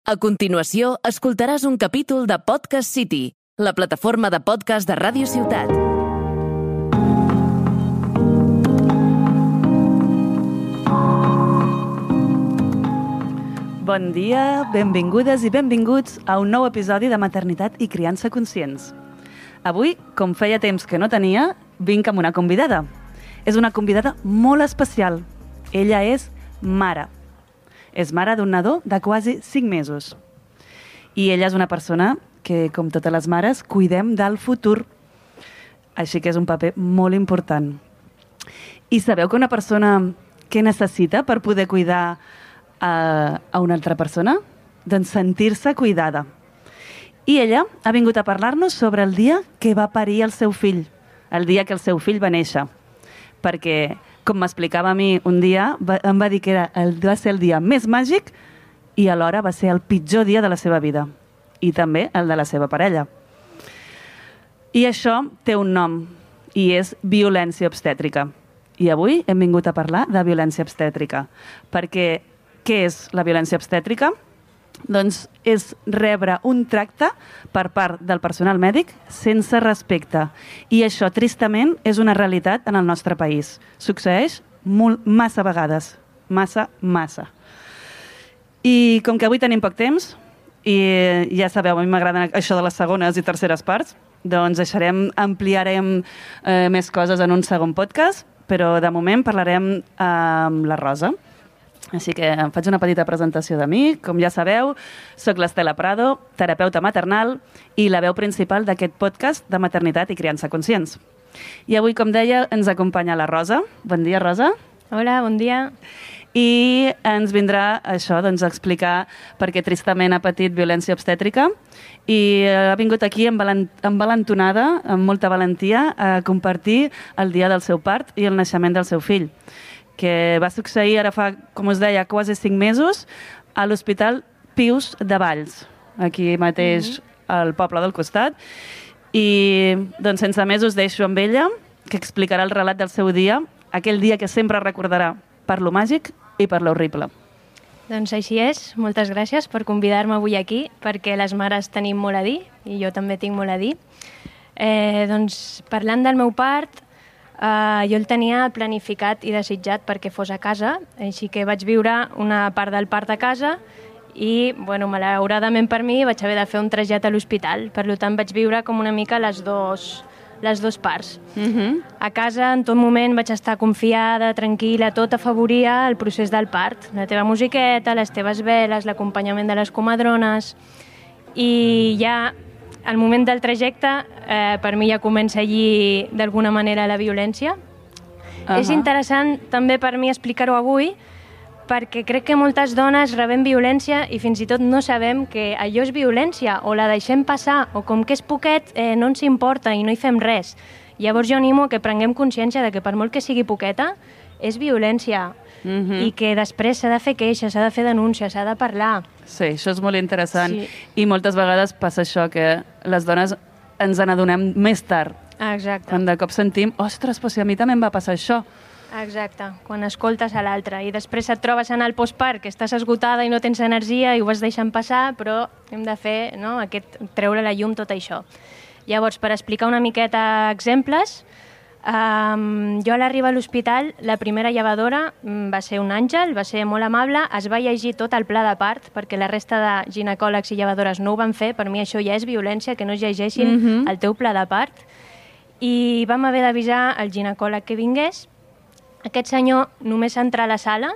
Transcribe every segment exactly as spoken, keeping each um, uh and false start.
A continuació, escoltaràs un capítol de Podcast City, la plataforma de podcast de Ràdio Ciutat. Bon dia, benvingudes i benvinguts a un nou episodi de Maternitat i Criança Conscients. Avui, com feia temps que no tenia, vinc amb una convidada. És una convidada molt especial. Ella és mare. És mare d'un nadó de quasi cinc mesos. I ella és una persona que, com totes les mares, cuidem del futur. Així que és un paper molt important. I sabeu que una persona què necessita per poder cuidar a, a una altra persona? Doncs sentir-se cuidada. I ella ha vingut a parlar-nos sobre el dia que va parir el seu fill, el dia que el seu fill va néixer. Perquè, com m'explicava a mi un dia, va, em va dir que era el, va ser el dia més màgic i alhora va ser el pitjor dia de la seva vida. I també el de la seva parella. I això té un nom, i és violència obstètrica. I avui hem vingut a parlar de violència obstètrica. Perquè què és la violència obstètrica? Doncs és rebre un tracte per part del personal mèdic sense respecte. I això, tristament, és una realitat en el nostre país. Succeeix molt, massa vegades. Massa, massa. I com que avui tenim poc temps, i ja sabeu, a mi m'agrada això de les segones i terceres parts, doncs deixarem, ampliarem eh, més coses en un segon podcast, però de moment parlarem amb la Rosa. Així que em faig una petita presentació de mi. Com ja sabeu, soc l'Estela Prado, terapeuta maternal i la veu principal d'aquest podcast de Maternitat i Criança Conscients. I avui, com deia, ens acompanya la Rosa. Bon dia, Rosa. Hola, bon dia. I ens vindrà això, doncs, a explicar per què tristament ha patit violència obstètrica i ha vingut aquí envalentonada, amb molta valentia, a compartir el dia del seu part i el naixement del seu fill, que va succeir ara fa, com us deia, quasi cinc mesos a l'Hospital Pius de Valls, aquí mateix mm-hmm. al poble del costat. I doncs sense més us deixo amb ella, que explicarà el relat del seu dia, aquell dia que sempre recordarà per lo màgic i per lo horrible. Doncs així és. Moltes gràcies per convidar-me avui aquí, perquè les mares tenim molt a dir, i jo també tinc molt a dir. Eh, doncs parlant del meu part, Uh, jo el tenia planificat i desitjat perquè fos a casa, així que vaig viure una part del part a casa i, bueno, malauradament per mi vaig haver de fer un trasllat a l'hospital. Per tant, vaig viure com una mica les dos, les dos parts. Uh-huh. A casa, en tot moment, vaig estar confiada, tranquil·la, tot afavoria el procés del part. La teva musiqueta, les teves veles, l'acompanyament de les comadrones. I ja al moment del trajecte, eh, per mi ja comença allí d'alguna manera la violència. Uh-huh. És interessant també per mi explicar-ho avui, perquè crec que moltes dones rebem violència i fins i tot no sabem que allò és violència, o la deixem passar, o com que és poquet eh, no ens importa i no hi fem res. Llavors jo animo que prenguem consciència de que per molt que sigui poqueta, és violència. Uh-huh. I que després s'ha de fer queixa, s'ha de fer denúncia, s'ha de parlar. Sí, això és molt interessant. Sí. I moltes vegades passa això, que les dones ens n'adonem més tard. Exacte. Quan de cop sentim, ostres, però si a mi també em va passar això. Exacte, quan escoltes a l'altre. I després et trobes en el postpart, que estàs esgotada i no tens energia i ho vas deixant passar, però hem de fer, no?, aquest, treure la llum tot això. Llavors, per explicar una miqueta exemples, Um, jo a l'arribar a l'hospital, la primera llevadora um, va ser un àngel, va ser molt amable, es va llegir tot el pla de part, perquè la resta de ginecòlegs i llevadores no ho van fer. Per mi això ja és violència, que no es llegeixin mm-hmm. el teu pla de part. I vam haver d'avisar el ginecòleg que vingués. Aquest senyor només entrar a la sala,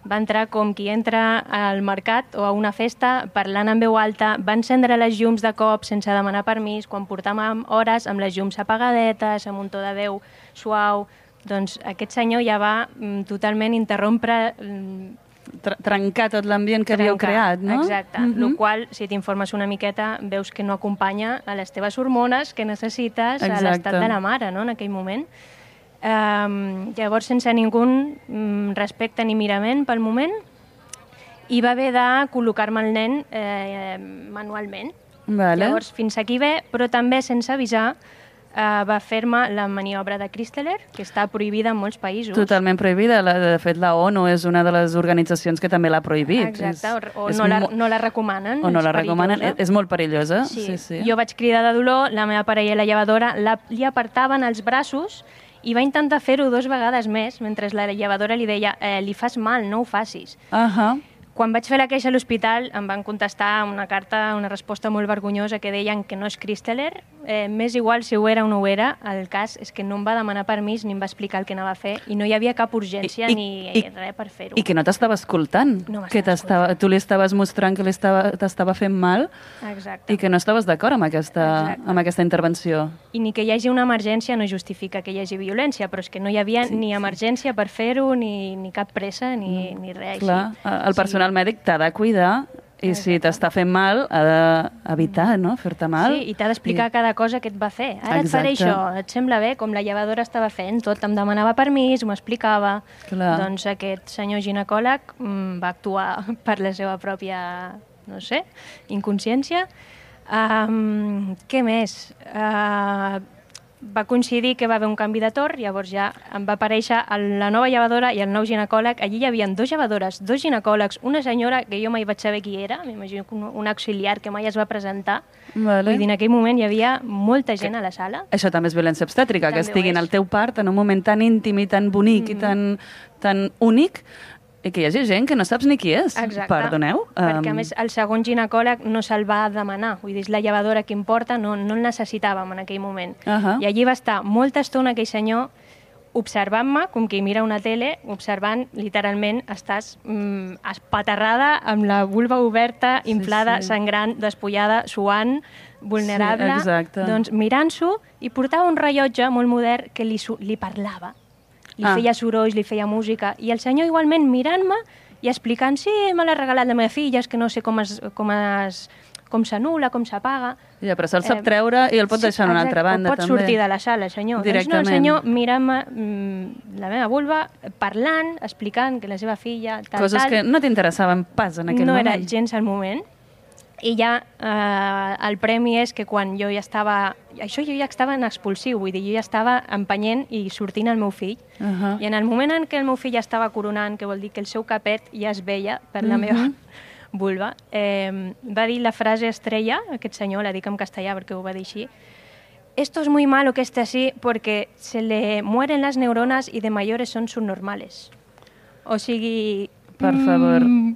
va entrar com qui entra al mercat o a una festa, parlant en veu alta, va encendre les llums de cop sense demanar permís, quan portàvem hores amb les llums apagadetes, amb un to de veu suau. Doncs aquest senyor ja va mm, totalment interrompre... Mm, Tr- trencar tot l'ambient que havíeu creat, no? Exacte, mm-hmm. el qual, si t'informes una miqueta, veus que no acompanya a les teves hormones que necessites Exacte. A l'estat de la mare, no?, en aquell moment. Um, llavors, sense ningú um, respecte ni mirament pel moment, i va haver de col·locar-me el nen eh, manualment. Vale. Llavors, fins aquí bé, però també sense avisar uh, va fer-me la maniobra de Christeler, que està prohibida en molts països. Totalment prohibida. La, de fet, la ONU és una de les organitzacions que també l'ha prohibit. Exacte, és, o és no, la, mo... no la recomanen. O no la perillosa. recomanen. És, és molt perillosa. Sí. Sí, sí. Jo vaig cridar de dolor, la meva parella i la llevadora la, li apartaven els braços i va intentar fer-ho dues vegades més, mentre la llevadora li deia eh, li fas mal, no ho facis. Uh -huh. Quan vaig fer la queixa a l'hospital em van contestar una carta, una resposta molt vergonyosa que deien que no és Christeler, eh, m'és igual si ho era o no ho era, el cas és que no em va demanar permís ni em va explicar el que anava a fer i no hi havia cap urgència I, ni i, res per fer-ho. I que no t'estava escoltant, no que tu li estaves mostrant que t'estava fent mal. Exacte. I que no estaves d'acord amb, aquesta, amb aquesta intervenció. I ni que hi hagi una emergència no justifica que hi hagi violència, però és que no hi havia sí, ni emergència sí. per fer-ho, ni, ni cap pressa, ni, ni res Clar, així. El personal sí. mèdic t'ha de cuidar i Exacte. si t'està fent mal, ha d'evitar no? fer-te mal. Sí, i t'ha d'explicar I... cada cosa que et va fer. Ara Exacte. et faré això, et sembla bé? Com la llevadora estava fent, tot em demanava permís, m'ho explicava. Clar. Doncs aquest senyor ginecòleg mm, va actuar per la seva pròpia, no sé, inconsciència. Um, què més? Uh, va coincidir que va haver un canvi de torn, llavors ja em va aparèixer la nova llevadora i el nou ginecòleg. Allí hi havia dues llevadores, dos ginecòlegs, una senyora que jo mai vaig saber qui era, m'imagino que un, un auxiliar que mai es va presentar. Vale. Vull dir, en aquell moment hi havia molta gent que, a la sala. Això també és violència obstètrica, també que estiguin al teu part en un moment tan íntim i tan bonic mm-hmm. i tan, tan únic, i que hi hagi gent que no saps ni qui és. Exacte. Perdoneu. Perquè, a més, el segon ginecòleg no se'l va demanar. Vull dir, és la llevadora que importa, no, no el necessitàvem en aquell moment. Uh -huh. I allí va estar molta estona aquell senyor observant-me, com qui mira una tele, observant, literalment, estàs mm, espaterrada, amb la vulva oberta, inflada, sí, sí. sangrant, despullada, suant, vulnerable. Sí, exacte. Doncs mirant-s'ho, i portava un rellotge molt modern que li, li parlava. Li ah. feia sorolls, li feia música, i el senyor igualment mirant-me i explicant, sí, me l'ha regalat la meva filla, és que no sé com es, com es, com s'anul·la, com s'apaga. Ja, però se'l sap eh, treure i el pot deixar en una altra banda, també. Pot sortir de la sala, senyor. Directament. Doncs no, el senyor mirant-me mm, la meva vulva, parlant, explicant que la seva filla... Tal, Coses tal, que no t'interessaven pas en aquell no moment. No era gens el moment. I ja eh, el premi és que quan jo ja estava... Això jo ja estava en expulsiu, vull dir, jo ja estava empenyent i sortint el meu fill. Uh -huh. I en el moment en què el meu fill ja estava coronant, que vol dir que el seu capet ja es veia per la uh -huh. meva vulva, eh, va dir la frase estrella, aquest senyor, la dic en castellà perquè ho va dir així, «Esto es muy malo que esté así porque se le mueren las neuronas y de mayores son subnormales». O sigui... Per favor... Mm,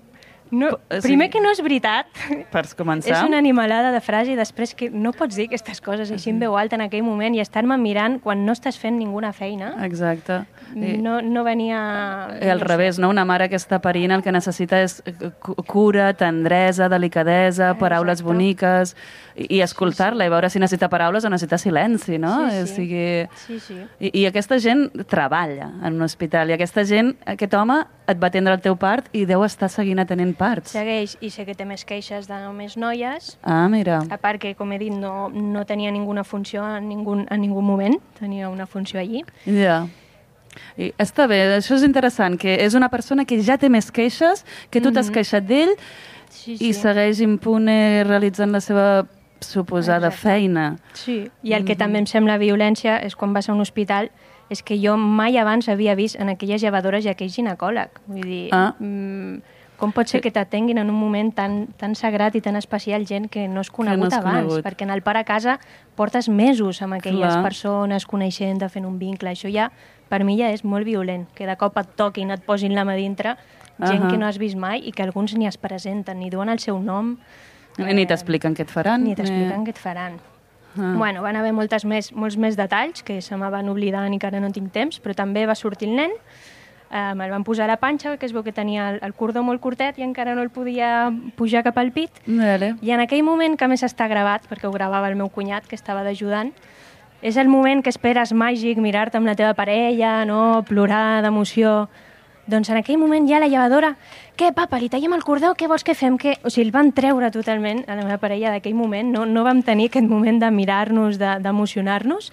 No, o sigui, primer que no és veritat, per començar. És una animalada de frase i després que no pots dir aquestes coses així en veu alta en aquell moment i estar-me mirant quan no estàs fent ninguna feina. Exacte. No, no venia... I al no revés, no? Una mare que està parint el que necessita és cura, tendresa, delicadesa, paraules Exacte. boniques i, i escoltar-la sí, sí. i veure si necessita paraules o necessita silenci, no? Sí, sí. O sigui... sí, sí. I, I aquesta gent treballa en un hospital i aquesta gent, aquest home et va atendre el teu part i deu estar seguint atenent parts. Segueix, i sé que té més queixes de només noies. Ah, mira. A part que, com he dit, no, no tenia ninguna funció en ningú, en ningú moment, tenia una funció allí. Ja. Yeah. I està bé, això és interessant, que és una persona que ja té més queixes, que tu mm-hmm. t'has queixat d'ell sí, sí. i segueix impune realitzant la seva suposada Exacte. feina. Sí, i el que mm-hmm. també em sembla violència és quan vas a un hospital és que jo mai abans havia vist en aquelles llevadores i aquell ginecòleg. Vull dir, ah. mmm, com pot ser que t'atenguin en un moment tan, tan sagrat i tan especial gent que no has conegut no abans? Conegut. Perquè en el pare a casa portes mesos amb aquelles Clar. persones, coneixent, fent un vincle. Això ja, per mi, ja és molt violent. Que de cop et toquin, et posin la mà dintre, gent uh -huh. que no has vist mai i que alguns ni es presenten, ni diuen el seu nom. Eh, ni t'expliquen què et faran. Ni t'expliquen eh... què et faran. Ah. Bueno, van haver moltes més, molts més detalls que se me van oblidant i que ara no tinc temps, però també va sortir el nen, eh, me'l van posar a la panxa, que es veu que tenia el, el cordó molt curtet i encara no el podia pujar cap al pit. Vale. I en aquell moment, que a més està gravat, perquè ho gravava el meu cunyat, que estava d'ajudant, és el moment que esperes màgic, mirar-te amb la teva parella, no? Plorar d'emoció. Doncs en aquell moment ja la llevadora, què, papa, li tallem el cordó, què vols que fem? Què? O sigui, el van treure totalment a la meva parella d'aquell moment, no, no vam tenir aquest moment de mirar-nos, d'emocionar-nos,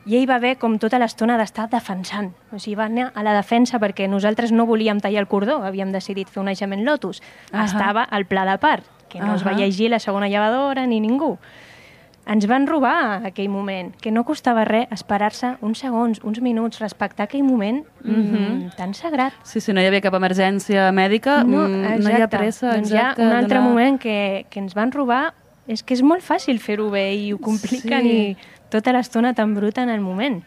i ell va haver com tota l'estona d'estar defensant. O sigui, va anar a la defensa perquè nosaltres no volíem tallar el cordó, havíem decidit fer un naixement lotus. Uh -huh. Estava al pla de part, que no uh -huh. es va llegir la segona llevadora ni ningú. ens van robar aquell moment, que no costava res esperar-se uns segons, uns minuts, respectar aquell moment mm-hmm. tan sagrat. Sí, sí, no hi havia cap emergència mèdica, no, no hi ha pressa. Doncs hi ha un altre donar... moment que, que ens van robar, és que és molt fàcil fer-ho bé i ho compliquen sí. i tota l'estona tan bruta en el moment.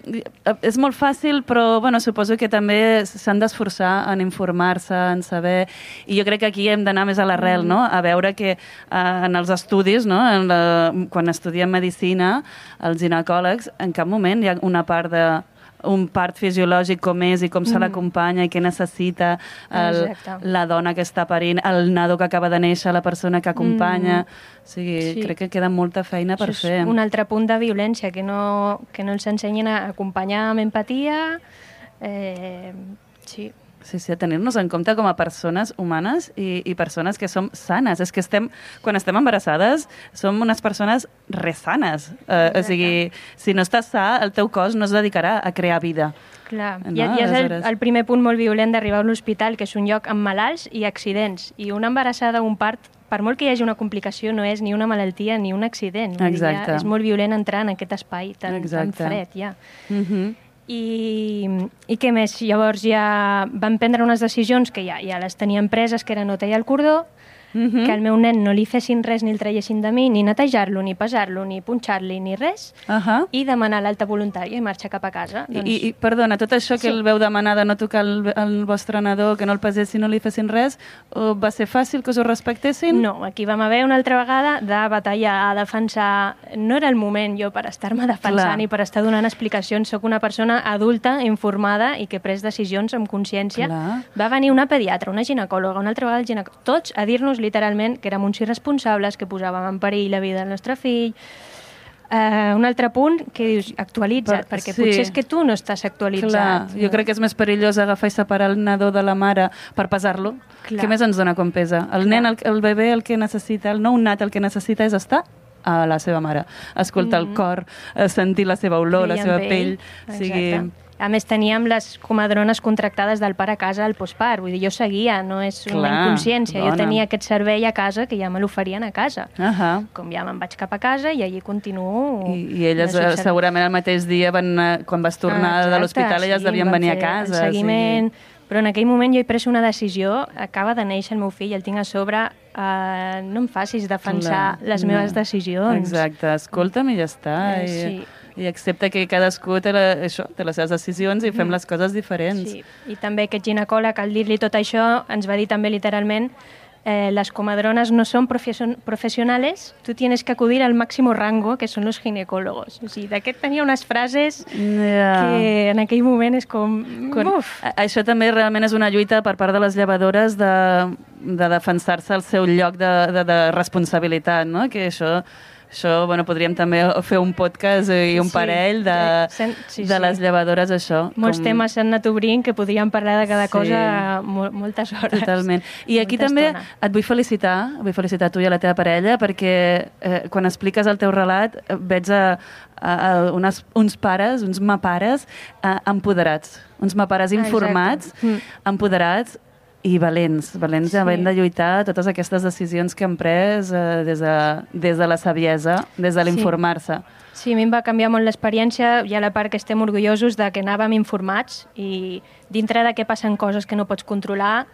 És molt fàcil, però bueno, suposo que també s'han d'esforçar en informar-se, en saber... I jo crec que aquí hem d'anar més a l'arrel, no? A veure que eh, en els estudis, no? en la, quan estudiem medicina, els ginecòlegs, en cap moment hi ha una part de un part fisiològic com és i com se l'acompanya i què necessita el, la dona que està parint, el nadó que acaba de néixer, la persona que acompanya... Mm. O sigui, sí. crec que queda molta feina per Això fer. És un altre punt de violència, que no, que no els ensenyen a acompanyar amb empatia. Eh, sí. Sí, sí, a tenir-nos en compte com a persones humanes i, i persones que som sanes. És que estem, quan estem embarassades, som unes persones resanes. Eh, o sigui, si no estàs sa, el teu cos no es dedicarà a crear vida. Clar, no? ja, ja és el, el primer punt molt violent d'arribar a un hospital, que és un lloc amb malalts i accidents. I una embarassada, un part, per molt que hi hagi una complicació, no és ni una malaltia ni un accident. Exacte. Ja és molt violent entrar en aquest espai tan, tan fred, ja. Mhm. I, i què més? Llavors ja van prendre unes decisions que ja, ja les tenien preses, que era no tallar el cordó, mm-hmm. que al meu nen no li fessin res ni el traiessin de mi, ni netejar-lo, ni pesar-lo, ni punxar-li, ni res, uh-huh. i demanar l'alta voluntària i marxar cap a casa. Doncs... I, I, perdona, tot això que sí. el veu demanar de no tocar el, el vostre nadó, que no el pesessin, no li fessin res, va ser fàcil que us ho respectessin? No, aquí vam haver una altra vegada de batallar, a defensar... No era el moment jo per estar-me defensant Clar. I per estar donant explicacions. Soc una persona adulta, informada i que he pres decisions amb consciència. Clar. Va venir una pediatra, una ginecòloga, una altra vegada el ginecòleg, tots a dir-nos literalment que érem uns irresponsables, que posàvem en perill la vida del nostre fill. Uh, un altre punt que dius, actualitza't, per, perquè sí. potser és que tu no estàs actualitzat. Clar, no? Jo crec que és més perillós agafar i separar el nadó de la mare per pesar-lo. Què més ens dona com pesa? El Clar. nen, el, el bebè, el que necessita, el nou nat, el que necessita és estar a la seva mare, escoltar mm-hmm. el cor, sentir la seva olor, la seva pell. O sigui... A més, teníem les comadrones contractades del pare a casa al postpart. Vull dir, jo seguia, no és una Clar, inconsciència. dona. Jo tenia aquest servei a casa que ja me l'oferien a casa. Uh-huh. Com ja me'n vaig cap a casa i allí continuo... I, i elles eh, segurament el mateix dia, van, quan vas tornar ah, de l'hospital, elles sí, devien venir a casa. El seguiment... Sí. Però en aquell moment jo he pres una decisió, acaba de néixer el meu fill, el tinc a sobre, eh, no em facis defensar Clar, les meves no. decisions. Exacte, escolta'm i ja està. Eh, i, sí. I accepta que cadascú té, la, això, té les seves decisions i fem mm. les coses diferents. Sí. I també aquest ginecòleg, al dir-li tot això, ens va dir també literalment eh, les comadrones no són professionales, tu tienes que acudir al máximo rango, que són los ginecólogos. O sigui, d'aquest tenia unes frases yeah. que en aquell moment és com... Quan, uf. Això també realment és una lluita per part de les llevadores de, de defensar-se el seu lloc de, de, de responsabilitat, no? Que això... Això, bueno, podríem també fer un podcast i un sí, parell de, sí, sí, de les llevadores, això. Molts com... temes s'han anat obrint que podríem parlar de cada sí. cosa mo moltes hores. Totalment. I aquí també estona. Et vull felicitar, vull felicitar a tu i a la teva parella, perquè eh, quan expliques el teu relat veig a, a, a unes, uns pares, uns mapares eh, empoderats, uns mapares informats, ah, empoderats, i valents, valents sí. havent de lluitar totes aquestes decisions que han pres eh, des, de, des de la saviesa, des de l'informar-se. Sí. sí, a mi em va canviar molt l'experiència. Hi ha la part que estem orgullosos de que anàvem informats i dintre de què passen coses que no pots controlar,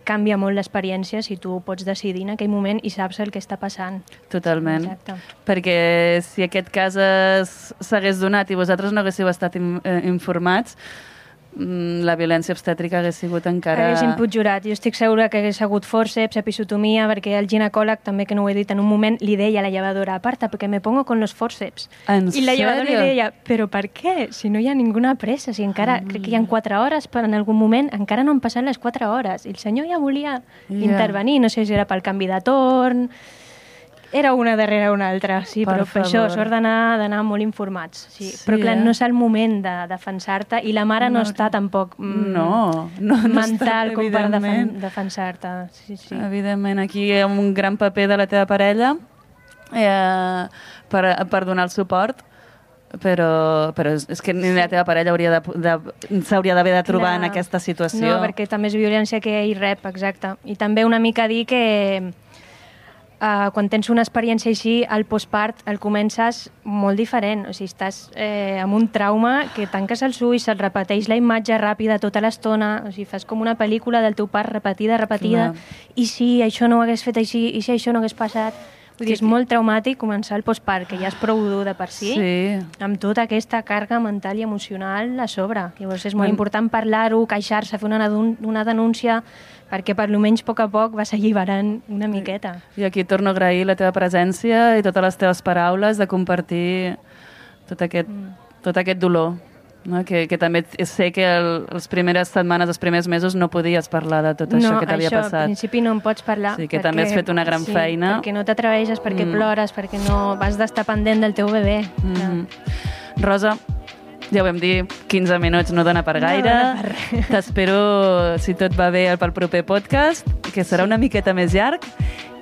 canvia molt l'experiència si tu pots decidir en aquell moment i saps el que està passant. Totalment. Exacte. Perquè si aquest cas s'hagués donat i vosaltres no haguéssiu estat in, eh, informats, la violència obstètrica hagués sigut encara... Hagués empitjorat. Jo estic segura que hagués hagut fòrceps, episiotomia, perquè el ginecòleg, també que no ho he dit en un moment, li deia a la llevadora, aparta, perquè me pongo con los fòrceps. En I la llevadora li deia, però per què? Si no hi ha ninguna pressa, si encara, mm. crec que hi ha quatre hores, però en algun moment encara no han passat les quatre hores. I el senyor ja volia yeah. intervenir, no sé si era pel canvi de torn... Era una darrere una altra, sí, per però per això sort d'anar molt informats. Sí. Sí, però clar, eh? no és el moment de defensar-te i la mare no, no està tampoc mm, no, no, no mental està, com per defen defensar-te. Sí, sí. Evidentment, aquí hi ha un gran paper de la teva parella eh, per, per donar el suport, però, però és que ni la teva parella hauria de, de, s'hauria d'haver de trobar clar. En aquesta situació. No, perquè també és violència que ell rep, exacte. I també una mica dir que Uh, quan tens una experiència així, el postpart el comences molt diferent. O sigui, estàs eh, amb un trauma que tanques els ulls, se't repeteix la imatge ràpida tota l'estona, o sigui, fas com una pel·lícula del teu part repetida, repetida, clar. I si això no ho hagués fet així, i si això no hagués passat... Vull dir, és molt traumàtic començar el postpart, que ja és prou dur de per si, sí. amb tota aquesta càrrega mental i emocional a sobre. Llavors és molt mm. important parlar-ho, queixar-se, fer una, una denúncia, perquè per almenys a poc a poc vas alliberant una miqueta. I aquí torno a agrair la teva presència i totes les teves paraules de compartir tot aquest, mm. tot aquest dolor. No? Que, que també sé que el, les primeres setmanes, els primers mesos no podies parlar de tot no, això que t'havia passat. No, això al principi no en pots parlar. Sí, que perquè, també has fet una gran sí, feina. perquè no t'atreveixes, perquè mm. plores, perquè no vas d'estar pendent del teu bebè. Mm -hmm. Rosa, ja ho vam dir, quinze minuts no dona per gaire. No dona per res. T'espero, si tot va bé, pel proper podcast, que serà una miqueta més llarg,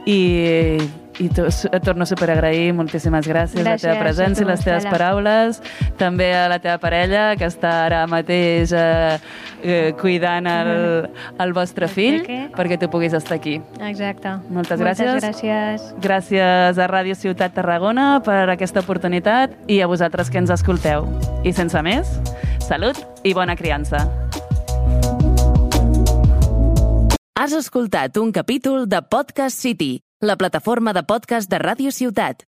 i, i to, et torno a superagrair. Moltíssimes gràcies, gràcies la teva presència i les teves paraules. També a la teva parella, que està ara mateix eh, eh, cuidant el, el vostre fill, perquè tu puguis estar aquí. Exacte. Moltes gràcies. Moltes gràcies. Gràcies a Ràdio Ciutat Tarragona per aquesta oportunitat i a vosaltres que ens escolteu. I sense més, salut i bona criança. Has escoltat un capítol de Podcast City, la plataforma de podcast de Ràdio Ciutat.